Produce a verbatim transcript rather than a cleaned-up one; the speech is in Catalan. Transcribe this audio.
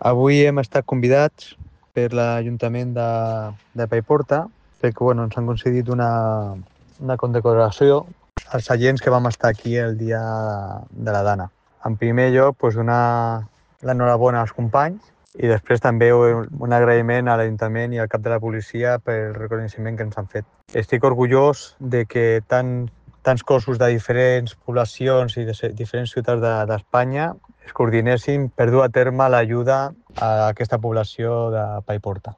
Avui hem estat convidats per l'Ajuntament de, de Paiporta perquè bueno, ens han concedit una, una condecoració als agents que vam estar aquí el dia de la Dana. En primer lloc, pues, donar l'enhorabona als companys i després també un agraïment a l'Ajuntament i al cap de la policia pel reconeixement que ens han fet. Estic orgullós de que tant, tants cossos de diferents poblacions i de diferents ciutats d'Espanya es coordinessin per dur a terme l'ajuda a aquesta població de Paiporta.